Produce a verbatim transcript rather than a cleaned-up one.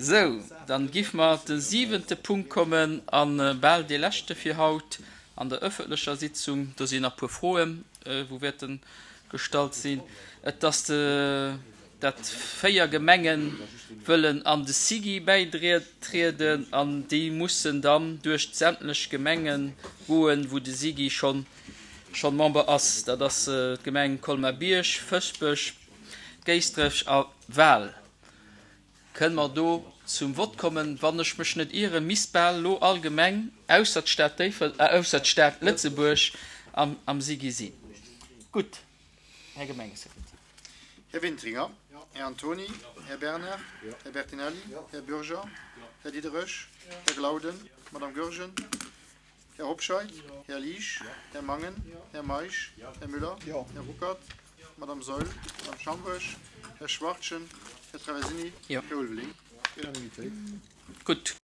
Sou, dann giff mer de siwente Punkt kommen an bal dee leschte fir haut an der öffentlecher Sitzung. Do sinn nach puer Froen, wou wäerten gestallt sinn. Et ass de, dat véier Gemengen wëllen an de SIGI bäitrieden an déi mussen dann duerch sämtlech Gemengen goen, wou de SIGI schonn schonn Member ass. Dat ass d'Gemeng Colmar-Bierg, Fëschbech, Géisdref a Wal. Kënne mer do zum Vott kommen? Wann ech mech net ieren, misst bal elo all Gemeng ausser d'Stad Déiffel, äh, ausser d'Stad Lëtzebuerg am, am SIGI sinn. Gutt, Här Gemengesekretär. Här Wintringer, Här Antoni, Här Bernard, Här Bertinelli, Här Bürger, Här Diderich, Här Glauden, Madame Goergen, Här Hobscheit, Här Liesch, Här Mangen, Här Meisch, Här Müller, Här Ruckert, Madame Saeul, Madame Schambourg, Här Schwachtgen, Här Traversini, Jo. Här Ulveling. Unanimitéit. Gutt.